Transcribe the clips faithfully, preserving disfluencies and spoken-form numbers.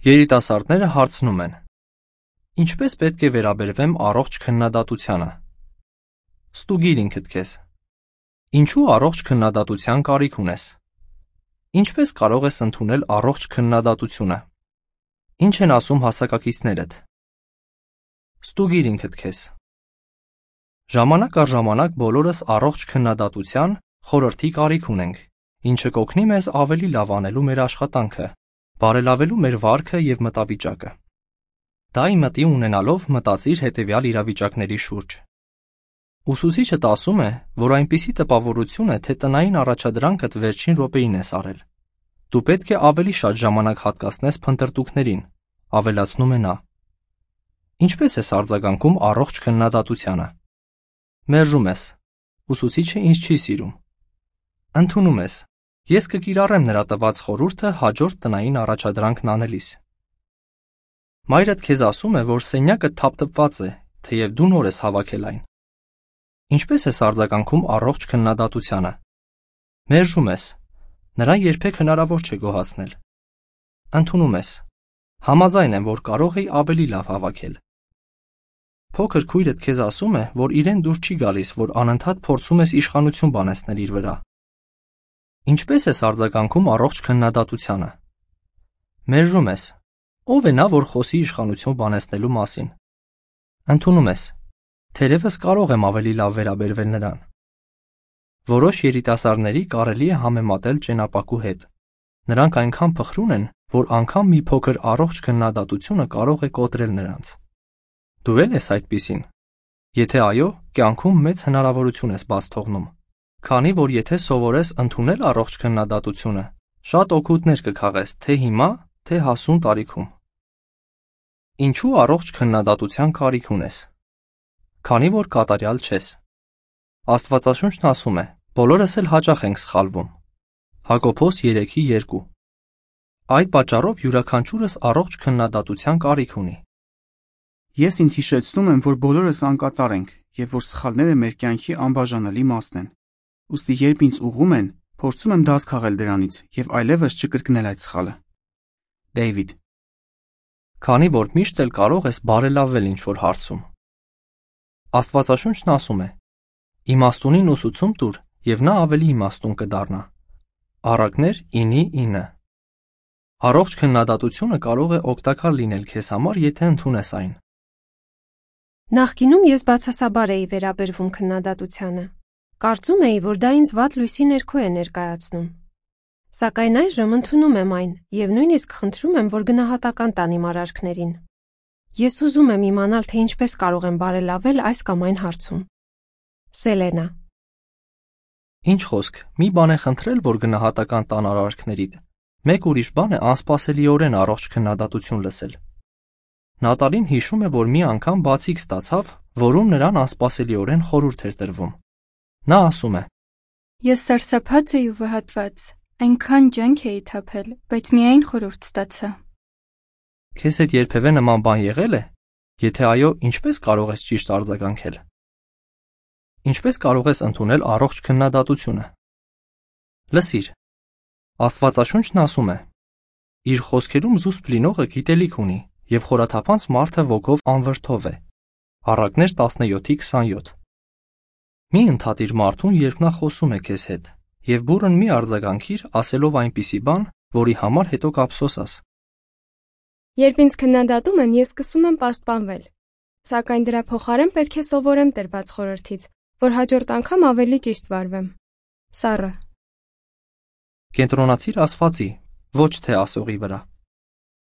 Երիտասարդները հարցնում են. Ինչպես պետք է վերաբերվեմ առողջ քննադատությանը։ Ստուգիր ինքդ քեզ։ Ինչու առողջ քննադատության կարիք ունես։ Ինչպես կարող ես ընդունել առողջ քննադատությունը։ Ինչ են ասում հասակակիցներդ։ Ստուգիր ինքդ քեզ։ Ժամանակ առ ժամանակ բոլորս առողջ քննադատության խորհրդի կարիք ունենք, ինչը կօգնի մեզ ավելի լավ անելու մեր աշխատանքը, բարելավելու մեր վարքը և մտավիճակը։ Դա իմտի ունենալով մտածիր հետևյալ իրավիճակների շուրջ։ Ուսուցիչդ ասում է, որ այնպիսի տպավորություն է, թե տնային առաջադրանքդ վերջին րոպեին ես արել։ Դու պետք է ավելի շատ ժամանակ հատկացնես փնտրտուքներին, ավելացնում է նա։ Ինչպես ես արձագանքում առողջ քննադատությանը։ Մերժում ես։ Ուսուցիչը ինձ չի սիրում։ Ընդունում ես։ Ես կկիրառեմ նրա տված խորհուրդը հաջորդ տնային առաջադրանքն անելիս։ Մայրդ քեզ ասում է, որ սենյակը թափթփված է, թեև դու նոր ես հավաքել այն։ Ինչպես ես արձագանքում առողջ քննադատությանը։ Մերժում ես։ Նրան երբեք հնարավոր չէ գոհացնել։ Ընդունում ես։ Համաձայն եմ, որ կարող էի ավելի լավ հավաքել։ Փոքր քույրդ քեզ ասում է, որ իրեն դուր չի գալիս, որ անընդհատ փորձում ես իշխանություն բանեցնել իր վրա։ Ինչպես ես արձագանքում առողջ քննադատությանը։ Մերժում ես։ Ո՞վ է նա, որ խոսի իշխանություն բանեցնելու մասին։ Ընդունում ես։ Թերևս կարող եմ ավելի լավ վերաբերվել նրան։ Որոշ երիտասարդների կարելի է համեմատել ճենապակու հետ։ Նրանք այնքան փխրուն են, որ անգամ մի փոքր առողջ քննադատությունը կարող է կոտրել նրանց։ Դու ե՞լ ես այդպիսին։ Եթե այո, կյանքում մեծ հնարավորություն ես բաց թողնում, քանի որ եթե սովորես ընդունել առողջ քննադատությունը, շատ օգուտներ կքաղես թե հիմա, թե հասուն տարիքում։ Ինչու առողջ քննադատության կարիք ունես։ Քանի որ կատարյալ չես։ Աստվածաշունչն ասում է. բոլորս էլ հաճախ ենք սխալվում։ Հակոբոս երեքի երկու։ Այդ պատճառով յուրաքանչյուրս առողջ քննադատության կարիք ունի։ Ես ինձ հիշեցնում եմ, որ բոլորս անկատար ենք և որ սխալները մեր կյանքի անբաժանելի մասն են։ Ուստի երբ ինձ ուղղում են, փորձում եմ դաս քաղել դրանից և այլևս չկրկնել այդ սխալը։ Դեյվիդ։ Քանի որ միշտ էլ կարող ես բարելավել ինչ-որ հարցում։ Աստվածաշունչն ասում է. իմաստունին ուսուցում տուր, և նա ավելի իմաստուն կդառնա։ Առակներ ինի ինը։ Առողջ քննադատությունը կարող է օգտակար լինել քեզ համար, եթե ընդունես այն։ Նախկինում ես բացասաբար էի վերաբերվում քննադատությանը։ Կարծում էի, որ դա ինձ վատ լույսի ներքո է ներկայացնում։ Սակայն այժմ ընդունում եմ այն և նույնիսկ խնդրում եմ, որ գնահատական տան իմ արարքներին։ Ես ուզում եմ իմանալ, թե ինչպես կարող եմ բարելավել այս կամ այն հարցում։ Սելենա։ Ինչ խոսք, մի բան է խնդրել, որ գնահատական տան արարքներիդ, մեկ ուրիշ բան է անսպասելիորեն առողջ քննադատություն լսել։ Նատալին հիշում է, որ մի անգամ բացիկ ստացավ, որում նրան անսպասելիորեն խորհուրդ էր տրվում։ Նա ասում է. Ես սարսափած էի ու վհատված, այնքան ջանք էի թափել, բայց միայն խորհուրդ ստացա։ Քեզ հետ երբևէ նման բան եղել է։ Եթե այո, ինչպես կարող ես ճիշտ արձագանքել։ Ինչպես կարող ես ընդունել առողջ քննադատությունը։ Լսիր։ Աստվածաշունչն ասում է. իր խոսքերում զուսպ լինողը գիտելիք ունի, և խորաթափանց մարդը ոգով անվրդով է։ Առակներ տասնյոթի քսանյոթ։ Մի ընդհատիր մարդուն, երբ նա խոսում է քեզ հետ, և բուռն մի արձագանքիր, ասելով այնպիսի բան, որի համար հետո կափսոսաս։ Երբ ինձ քննադատում են, ես սկսում եմ պաշտպանվել։ Սակայն դրա փոխարեն պետք է սովորեմ տրված խորհրդից, որ հաջորդ անգամ ավելի ճիշտ վարվեմ։ Սառը։ Կենտրոնացիր ասվածի, ոչ թե ասողի վրա։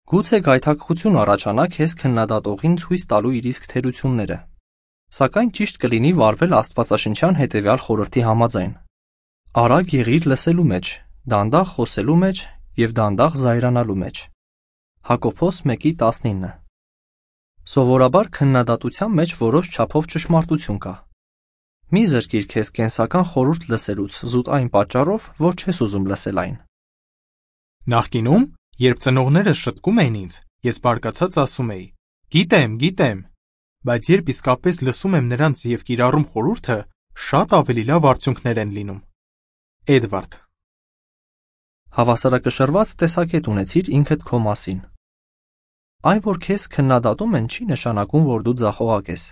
Գուցե գայթակղություն առաջանա քեզ քննադատողին ցույց տալու իր իսկ թերությունները։ Սակայն ճիշտ կլինի վարվել աստվածաշնչյան հետևյալ խորհրդի համաձայն։ Արագ եղիր լսելու մեջ, դանդաղ խոսելու մեջ և դանդաղ զայրանալու մեջ։ Հակոբոս մեկի տասնինը։ Սովորաբար քննադատության մեջ որոշ չափով ճշմարտություն կա։ Մի զրկիր քեզ կենսական խորհուրդ լսելուց զուտ այն պատճառով, որ չես ուզում լսել այն։ Նախկինում, երբ ծնողներս շտկում էին ինձ, ես բարկացած ասում էի. Գիտեմ, գիտեմ, բայց երբ իսկապես լսում եմ նրանց և կիրառում խորհուրդը, շատ ավելի լավ արդյունքներ են լինում։ Էդվարդ։ Հավասարակշռված տեսակետ ունեցիր ինքդ քո մասին։ Այն, որ քեզ քննադատում են, չի նշանակում, որ դու ձախողակ ես։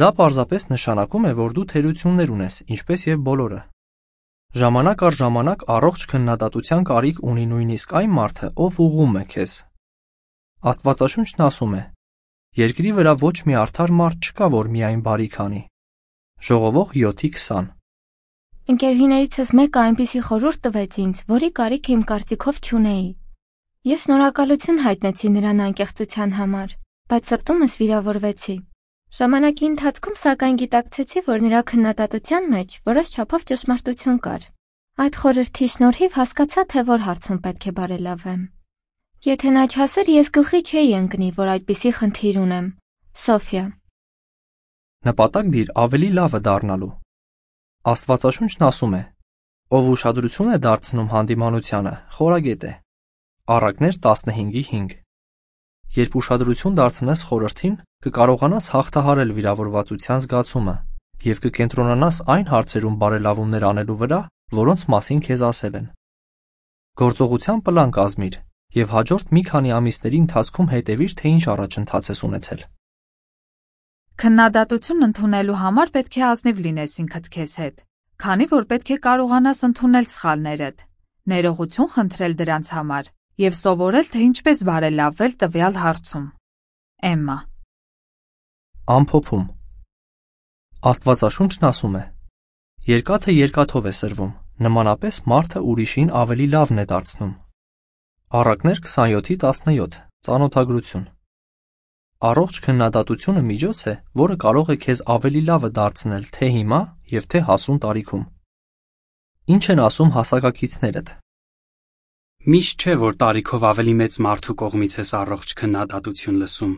Դա պարզապես նշանակում է, որ դու թերություններ ունես, ինչպես եւ բոլորը։ Ժամանակ առ ժամանակ առողջ քննադատության կարիք ունի նույնիսկ այն մարդը, ով ուղղում է քեզ։ Աստվածաշունչն ասում է. Երկրի վրա ոչ մի արդար մարդ չկա, որ միայն բարիք անի։ Ժողովող յոթ քսան։ Ընկերուհիներիցս մեկը այնպիսի խորհուրդ տվեց ինձ, որի կարիքը իմ կարծիքով չունեի։ Ես շնորհակալություն հայտնեցի նրան անկեղծության համար, բայց սրտումս վիրավորվեցի։ Ժամանակի ընթացքում սակայն գիտակցեցի, որ նրա քննադատության մեջ որոշ չափով ճշմարտություն կար։ Այդ խորհրդի շնորհիվ հասկացա, թե որ հարցում պետք է բարելավեմ։ Եթե նա չասեր, ես գլխի չէի ընկնի, որ այդպիսի խնդիր ունեմ։ Սոֆիա։ Նպատակ դիր ավելի լավը դառնալու։ Աստվածաշունչն ասում է. ով ուշադրություն է դարձնում հանդիմանությանը, խորագետ է։ Առակներ տասնհինգի հինգ։ Երբ ուշադրություն դարձնես խորհրդին, կկարողանաս հաղթահարել վիրավորվածության զգացումը և կկենտրոնանաս այն հարցերում բարելավումներ անելու վրա, որոնց մասին քեզ ասել են։ Գործողության պլան կազմիր և հաջորդ մի քանի ամիսների ընթացքում հետևիր, թե ինչ առաջընթաց ես ունեցել։ Քննադատություն ընդունելու համար պետք է ազնիվ լինես ինքդ քեզ հետ, քանի որ պետք է կարողանաս ընդունել սխալներդ, ներողություն խնդրել դրանց համար և սովորել, թե ինչպես բարելավել տվյալ հարցում։ Էմմա։ Ամփոփում։ Աստվածաշունչն ասում է. երկաթը երկաթով է սրվում, նմանապես մարդը ուրիշին ավելի լավն է դարձնում։ Առակներ քսանյոթի տասնյոթ, ծանոթագրություն։ Առողջ քննադատությունը միջոց է, որը կարող է քեզ ավելի լավը դարձնել թե հիմա և թե հասուն տարիքում։ Ինչ են ասում հասակակիցներդ։ Միշտ չէ, որ տարիքով ավելի մեծ մարդու կողմից ես առողջ քննադատություն լսում։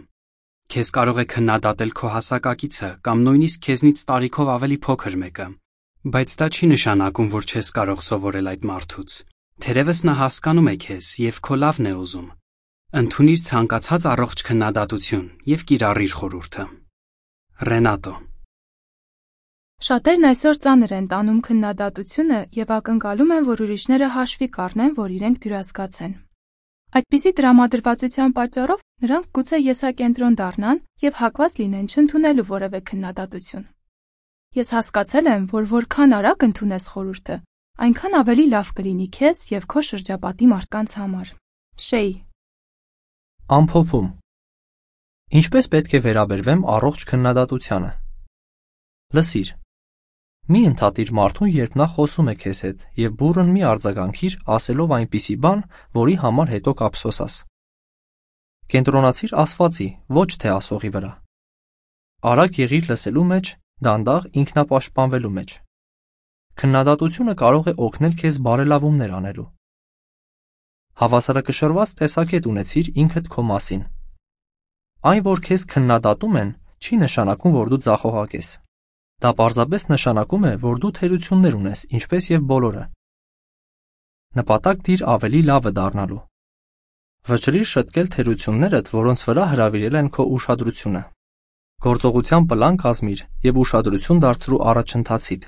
Քեզ կարող է քննադատել քո հասակակիցը կամ նույնիսկ քեզնից տարիքով ավելի փոքր մեկը, բայց դա չի նշանակում, որ չես կարող սովորել այդ մարդուց։ Թերևս նա հասկանում է քեզ և քո լավն է ուզում։ Ընդունիր ցանկացած առողջ քննադատություն և կիրառիր խորհուրդը։ Ռենատո։ Շատերն այսօր ծանր են տանում քննադատությունը և ակնկալում են, որ ուրիշները հաշվի կառնեն, որ իրենք դյուրասկաց են։ Այդպիսի տրամադրվածության պատճառով նրանք գուցե եսակենտրոն դառնան և հակված լինեն չընդունելու որևէ քննադատություն։ Ես հասկացել եմ, որ որքան արագ ընդունես խորհուրդը, այնքան ավելի լավ կլինի քեզ և քո շրջապատի մարդկանց համար։ Շեյ։ Ամփոփում։ Ինչպես պետք է վերաբերվեմ առողջ քննադատությանը։ Լսիր։ Մի ընդհատիր մարդուն, երբ նա խոսում է քեզ հետ, և բուռն մի արձագանքիր, ասելով այնպիսի բան, որի համար հետո կափսոսաս։ Կենտրոնացիր ասվածի, ոչ թե ասողի վրա։ Արագ եղիր լսելու մեջ, դանդաղ ինքնապաշտպանվելու մեջ։ Քննադատությունը կարող է օգնել քեզ բարելավումներ անելու։ Հավասարակշռված տեսակետ ունեցիր ինքդ քո մասին։ Այն, որ քեզ քննադատում են, չի նշանակում, որ դու ձախողակ ես։ Դա պարզապես նշանակում է, որ դու թերություններ ունես, ինչպես եւ բոլորը։ Նպատակ դիր ավելի լավը դառնալու։ Վճռիր շտկել թերություններդ, որոնց վրա հրավիրել են քո ուշադրությունը։ Գործողության պլան կազմիր եւ ուշադրություն դարձրու առաջընթացիդ։